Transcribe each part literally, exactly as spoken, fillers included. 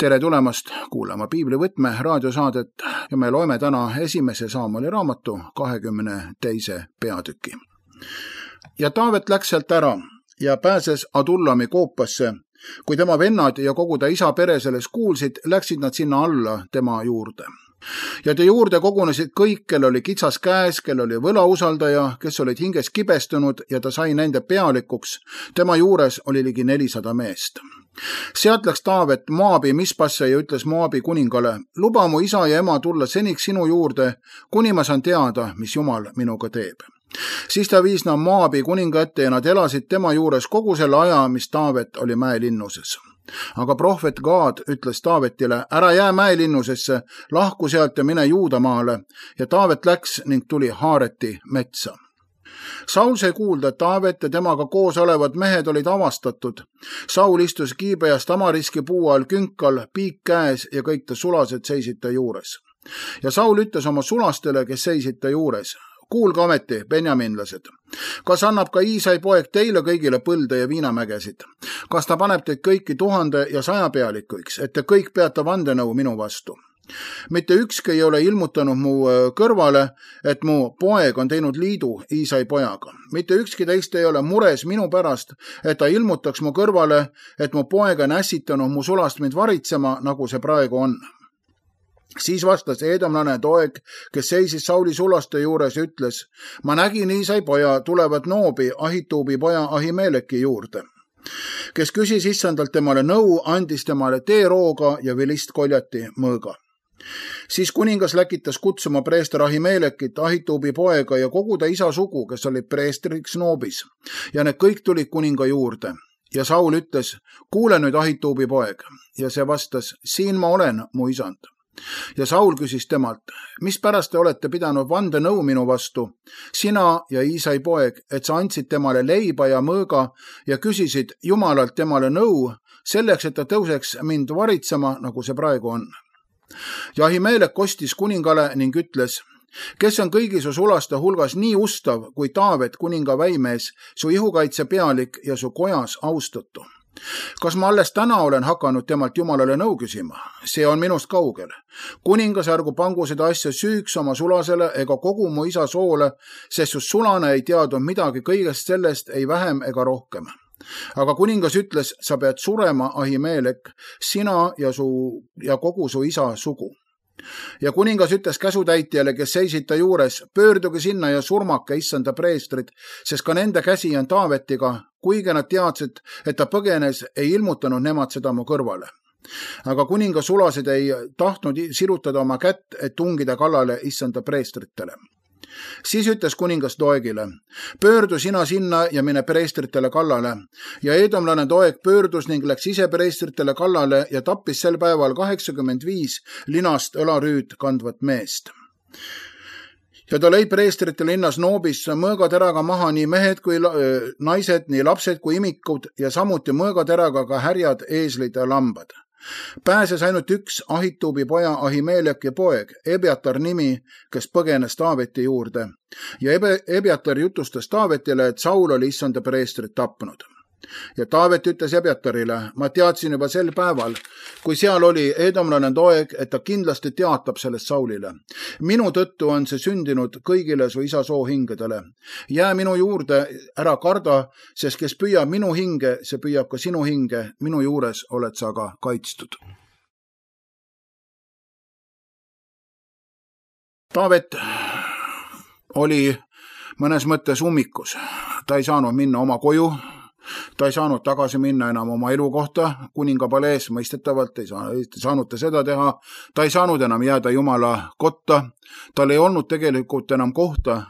tere tulemast kuulama Piiblivõtme raadiosaadet ja me loeme täna esimese Saamueli raamatu kahekümne teise peatüki. Ja Taavet läks sealt ära ja pääses Adullami koopasse. Kui tema vennad ja kogu ta isa pere selles kuulsid, läksid nad sinna alla tema juurde. Ja te juurde kogunesid kõik, kel oli kitsas käes, kel oli võlausaldaja, kes olid hinges kibestunud ja ta sai nende pealikuks. Tema juures oli ligi nelisada meest. Sealt läks Taavet Moabi Mispasse ja ütles Moabi kuningale, luba mu isa ja ema tulla seniks sinu juurde, kuni ma saan teada, mis Jumal minuga teeb. Siis ta viis nad Moabi kuninga ette ja nad elasid tema juures kogu selle aja, mis Taavet oli mäelinnuses. Aga prohvet Gaad ütles Taavetile, ära jää mäelinnusesse, lahku sealt ja mine Juudamaale, ja Taavet läks ning tuli Haareti metsa. Saul sai kuulda, et Taavet ja temaga koos olevad mehed olid avastatud. Saul istus Kiibeast Tamariski puu all künkal, piik käes ja kõik ta sulased seisid ta juures. Ja Saul ütles oma sulastele, kes seisid ta juures, kuulge ometi, benjaminlased, kas annab ka Iisai poeg teile kõigile põlde ja viinamägesid? Kas ta paneb teid kõiki tuhande ja saja pealikuks, et te kõik peate vandenõu minu vastu? Mitte ükski ei ole ilmutanud mu kõrvale, et mu poeg on teinud liidu Iisai pojaga. Mitte ükski teist ei ole mures minu pärast, et ta ilmutaks mu kõrvale, et mu poeg on ässitanud mu sulast mind varitsema, nagu see praegu on. Siis vastas eedomlane Doeg, kes seisis Sauli sulaste juures, ütles, ma nägin Iisai poja tulevat Noobi, Ahituubi poja Ahimeleki juurde, kes küsis issandalt temale nõu, andis temale teerooga ja vilist koljati mõõga. Siis kuningas läkitas kutsuma preester Ahimelekit, Ahituubi poega ja kogu ta isa sugu, kes oli preestriks Noobis, ja need kõik tulid kuninga juurde. Ja Saul ütles, kuule nüüd Ahituubi poeg, ja see vastas, siin ma olen, mu isand. Ja Saul küsis temalt, mis pärast te olete pidanud vande nõu minu vastu, sina ja Iisai poeg, et sa andsid temale leiba ja mõõga ja küsisid Jumalalt temale nõu, selleks, et ta tõuseks mind varitsema, nagu see praegu on. Ja Ahimelek kostis kuningale ning ütles, kes on kõigi su sulaste hulgas nii ustav kui Taavet kuninga väimees, su ihukaitse pealik ja su kojas austatu. Kas ma alles täna olen hakanud temalt Jumalale nõu küsima? See on minust kaugel. Kuningas ärgu pangu seda asja süüks oma sulasele ega kogu mu isa soole, sest just sulane ei teadnud midagi kõigest sellest, ei vähem ega rohkem. Aga kuningas ütles, sa pead surema, Ahimelek, sina ja, su, ja kogu su isa sugu. Ja kuningas ütles käsutäitjale, kes seisid ta juures, pöörduge sinna ja surmake issanda preestrid, sest ka nende käsi on Taavetiga, kuigi nad teadsid, et ta põgenes, ei ilmutanud nemad seda mu kõrvale. Aga kuninga sulased ei tahtnud sirutada oma kätt, et tungida kallale issanda preestritele. Siis ütles kuningas Doegile, pöördu sina sinna ja mine preestritele kallale. Ja eedomlane Doeg pöördus ning läks ise preestritele kallale ja tappis sel päeval kaheksakümmend viis linast õlarüüd kandvat meest. Ja ta lõi preestrite linnas Noobis mõõgateraga maha nii mehed kui naised, nii lapsed kui imikud ja samuti mõõgateraga ka härjad, eeslid ja lambad. Pääses ainult üks Ahituubi poja Ahimeleki poeg, Ebiatar nimi, kes põgenes Taaveti juurde. Ja Ebiatar jutustas Taavetile, et Saul oli issanda preestrit tapnud. Ja Taavet ütles Ebiatarile, ma teadsin juba sel päeval, kui seal oli eedomlane Doeg, et ta kindlasti teatab sellest Saulile. Minu tõttu on see sündinud kõigile su isa soohingedele. Jää minu juurde, ära karda, sest kes püüab minu hinge, see püüab ka sinu hinge, minu juures oled sa ka kaitstud. Taavet oli mõnes mõttes ummikus. Ta ei saanud minna oma koju, ta ei saanud tagasi minna enam oma elukohta, kuninga palees mõistetavalt ei saanud ta seda teha, ta ei saanud enam jääda Jumala kotta, tal ei olnud tegelikult enam kohta,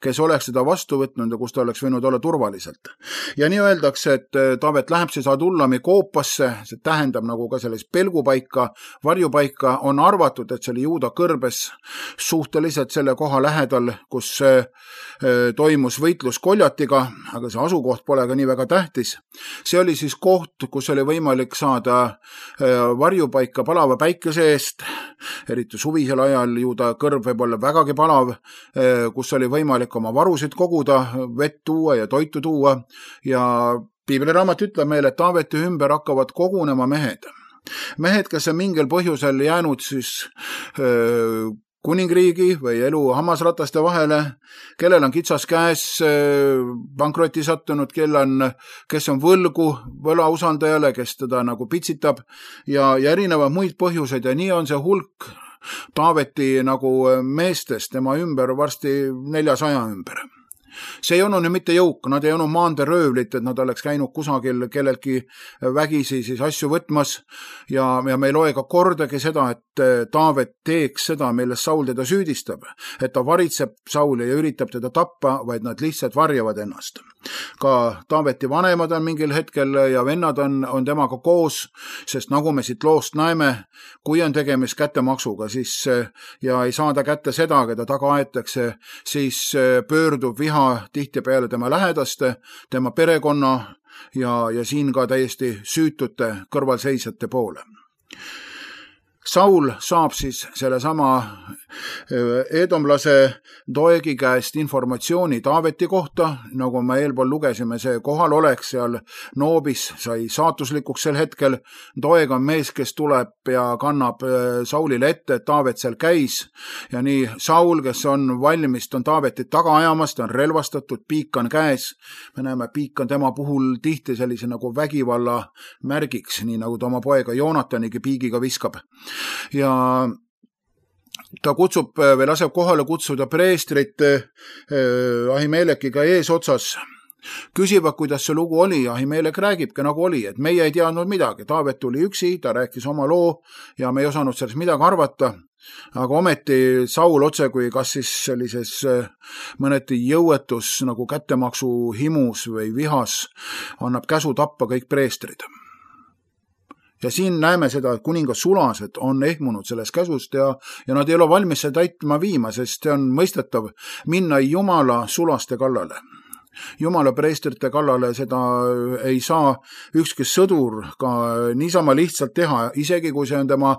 kes oleks seda vastu võtnud ja kus ta oleks võinud olla turvaliselt. Ja nii öeldakse, et Taavet läheb siis Adullami koopasse, see tähendab nagu ka selles pelgupaika, varjupaika, on arvatud, et see oli Juuda kõrbes suhteliselt selle koha lähedal, kus toimus võitlus koljatiga, aga see asukoht pole ka nii väga tähtis. See oli siis koht, kus oli võimalik saada varjupaika palava päikese eest, eriti suvisel ajal Juuda kõrb võib olla vägagi palav, kus oli võimalik oma varusid koguda, vett tuua ja toitu tuua ja Piibliraamat ütleb meile, et Taaveti ümber hakkavad kogunema mehed. Mehed, kes on mingil põhjusel jäänud siis öö, kuningriigi või elu hammasrataste vahele, kellel on kitsas käes pankroti sattunud, kel on, kes on võlgu võlausaldajale, kes teda nagu pitsitab ja, ja erinevad muid põhjuseid ja nii on see hulk Taaveti nagu meestest tema ümber varsti neljasaja ümber. See ei olnud nüüd mitte jõuk, nad ei olnud maanderöövlit, et nad oleks käinud kusagil kellelgi vägisi siis asju võtmas ja, ja me ei loe ka kordagi seda, et Taavet teeks seda, milles Saul teda süüdistab, et ta varitseb Sauli ja üritab teda tappa, vaid nad lihtsalt varjavad ennast. Ka Taaveti vanemad on mingil hetkel ja vennad on, on temaga koos, sest nagu me siit loost näeme, kui on tegemist kättemaksuga, siis ja ei saada kätte seda, keda taga aetakse, siis pöördub viha tihtipeale tema lähedaste, tema perekonna ja, ja siin ka täiesti süütute kõrvalseisjate poole. Saul saab siis selle sama eedomlase Doegi käest informatsiooni Taaveti kohta, nagu me eelpool lugesime, see kohal oleks seal Noobis, sai saatuslikuks sel hetkel. Doeg on mees, kes tuleb ja kannab Saulile ette, et Taavet seal käis ja nii Saul, kes on valmis, on Taavetit taga ajamas, ta on relvastatud, piik on käes. Me näeme, piik on tema puhul tihti sellise nagu vägivalla märgiks, nii nagu ta oma poega Joonatanigi piigiga viskab. Ja ta kutsub või laseb kohale kutsuda preestrit Ahimelekiga eesotsas. Küsivad, kuidas see lugu oli. Ahimelek räägibki nagu oli, et meie ei teadnud midagi. Taavet tuli üksi, ta rääkis oma loo ja me ei osanud sellest midagi arvata. Aga ometi Saul otse kui kas siis sellises mõneti jõuetus nagu kättemaksu himus või vihas annab käsu tappa kõik preestrid. Ja siin näeme seda, et kuningas sulased on ehmunud sellest käsust ja, ja nad ei ole valmis seda täitma viima, sest see on mõistetav minna Jumala sulaste kallale. Jumala preestrite kallale seda ei saa ükski sõdur ka niisama lihtsalt teha, isegi kui see on tema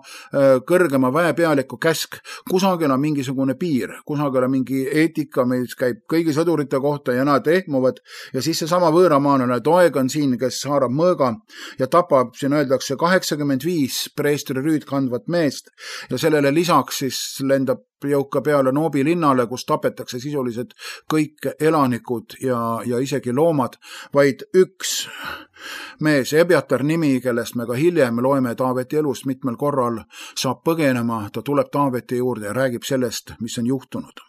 kõrgema väepealiku käsk. Kusagil on mingisugune piir, kusagil on mingi eetika, mis käib kõigi sõdurite kohta ja nad ehmuvad ja siis see sama võõramaalane Doeg on siin, kes haarab mõõga ja tapab, siin öeldakse kaheksakümmend viis preestri rüüd kandvat meest ja sellele lisaks siis lendab jõuka peale Noobi linnale, kus tapetakse sisuliselt kõik elanikud ja, ja isegi loomad, vaid üks mees, Ebiatar nimi, kellest me ka hiljem loeme Taaveti elust mitmel korral, saab põgenema, ta tuleb Taaveti juurde ja räägib sellest, mis on juhtunud.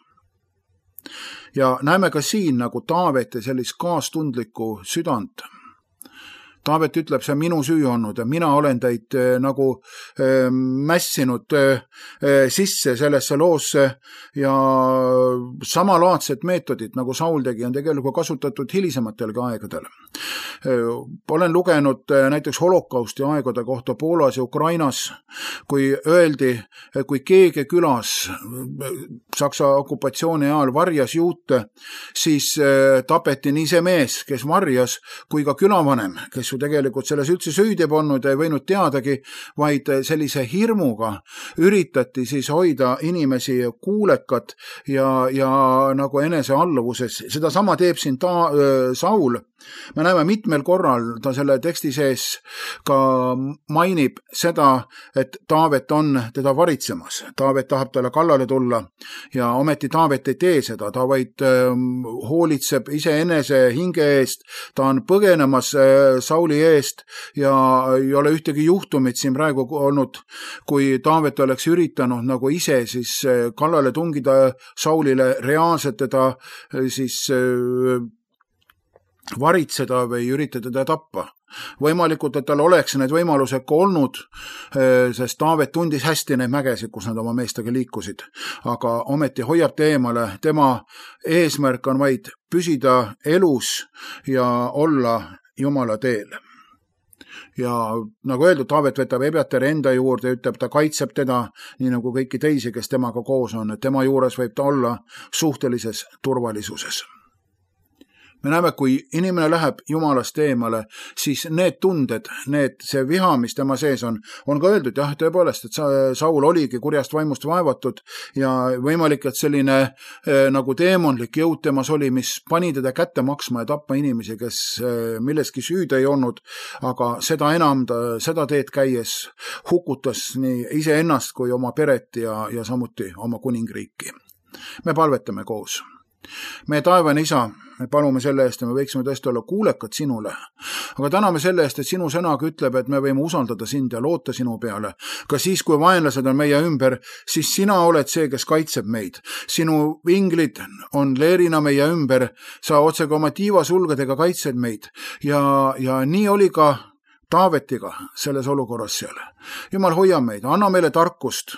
Ja näeme ka siin nagu Taaveti sellist kaastundlikku südant. Taavet ütleb, see on minu süü olnud ja mina olen teid nagu äh, mässinud äh, sisse sellesse loosse ja samalaadsed meetodid, nagu Saul tegi, on tegelikult kasutatud hilisematel aegadel. Äh, olen lugenud äh, näiteks holokausti aegade kohta Poolas ja Ukrainas, kui öeldi, kui keegi külas Saksa okupatsiooni ajal varjas juute, siis äh, tapeti nii see mees, kes varjas, kui ka külavanem, kes tegelikult selles üldse süüdi polnud ja ei võinud teadagi, vaid sellise hirmuga üritati siis hoida inimesi kuulekat ja, ja nagu enese alluvuses. Seda sama teeb siin ta, äh, Saul. Me näeme mitmel korral ta selle teksti sees ka mainib seda, et Taavet on teda varitsemas. Taavet tahab talle kallale tulla ja ometi Taavet ei tee seda. Ta vaid äh, hoolitseb iseenese hinge eest. Ta on põgenemas äh, Sauli eest ja ei ole ühtegi juhtumit siin praegu olnud, kui Taavet oleks üritanud nagu ise siis äh, kallale tungida Saulile, reaalselt teda äh, siis äh, varitseda või üritada teda tappa. Võimalikult, et tal oleks need võimalused ka olnud, sest Taavet tundis hästi neid mägesid, kus nad oma meestega liikusid. Aga ometi hoiab ta eemale, tema eesmärk on vaid püsida elus ja olla Jumala teel. Ja nagu öeldud, Taavet võtab Ebiatari enda juurde ja ütleb, ta kaitseb teda, nii nagu kõiki teisi, kes temaga koos on, et tema juures võib ta olla suhtelises turvalisuses. me näeme, kui inimene läheb Jumalast eemale, siis need tunded, need, see viha, mis tema sees on, on ka öeldud, jah, tõepoolest, et Saul oligi kurjast vaimust vaevatud ja võimalik, et selline eh, nagu teemonlik jõud temas oli, mis pani teda kätte maksma ja tappa inimesi, kes eh, milleski süüd ei olnud, aga seda enam ta seda teed käies hukutas nii iseennast kui oma peret ja, ja samuti oma kuningriiki. Me palvetame koos. Meie taevane isa, me palume selle eest ja me võiksime tõesti olla kuulekad sinule. Aga täname selle eest, et sinu sõnaga ütleb, et me võime usaldada sind ja loota sinu peale. Ka siis, kui vaenlased on meie ümber, siis sina oled see, kes kaitseb meid. Sinu vinglid on leerina meie ümber, sa otsega oma tiivasulgedega kaitsed meid. Ja, ja nii oli ka Taavetiga selles olukorras seal. Jumal, hoia meid, anna meile tarkust,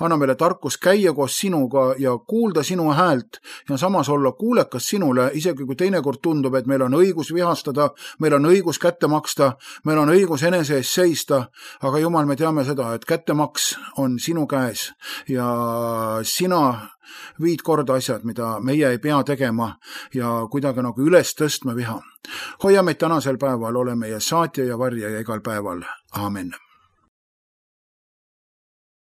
anna meile tarkust käia koos sinuga ja kuulda sinu häält ja samas olla kuulekas sinule, isegi kui teinekord tundub, et meil on õigus vihastada, meil on õigus kätte maksta, meil on õigus enese ees seista, aga Jumal, me teame seda, et kättemaks on sinu käes ja sina viid korda asjad, mida meie ei pea tegema ja kuidagi nagu üles tõstma viha. Hoia meid tänasel päeval, ole meie saatja ja varja ja igal päeval. Aamen.